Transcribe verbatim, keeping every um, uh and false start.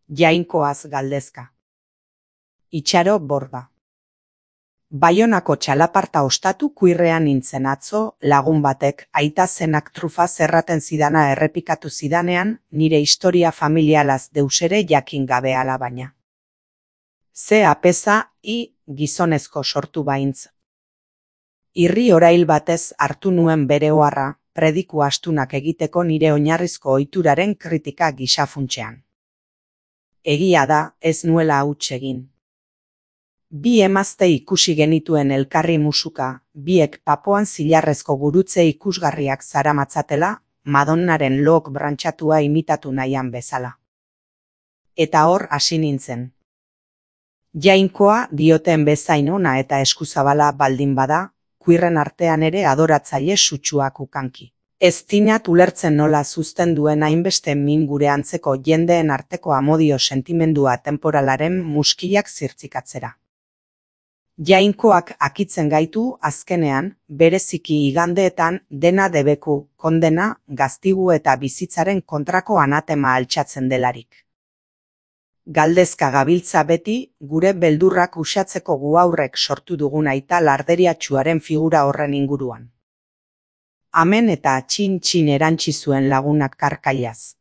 Jainkoaz galdezka. Itxaro borda. Baionako txalaparta ostatu kuirrean nintzen atzo, lagun batek aita zenak trufa zerraten zidana errepikatu zidanean, nire historia familialaz deusere jakin gabe alabaina. Ze apeza, i, gizonezko sortu baintz. Irri orail batez hartu nuen bere oharra, prediku astunak egiteko nire oinarrizko ohituraren kritika gisa funtsean. Egia da, ez nuela huts egin. Bi emazte ikusi genituen elkarri musuka, biek papoan zilarrezko gurutze ikusgarriak zaramatzatela, Madonnaren look brantxatua imitatu nahian bezala. Eta hor hasi nintzen. Jainkoa dioten bezain ona eta eskuzabala baldin bada, kuirren artean ere adoratzaile sutsuak ukanki. Ez dinat ulertzen nola zuzten duen hainbeste min gure antzeko jendeen arteko amodio sentimendua temporalaren muskilak zirtzikatzera. Jainkoak akitzen gaitu azkenean, bereziki igandeetan dena debeku, kondena, gaztigu eta bizitzaren kontrako anatema altxatzen delarik. Galdezka gabiltza beti, gure beldurrak uxatzeko guaurrek sortu dugun aita larderiatsuaren figura horren inguruan. Amen eta txin-txin erantsi zuen lagunak karkailaz.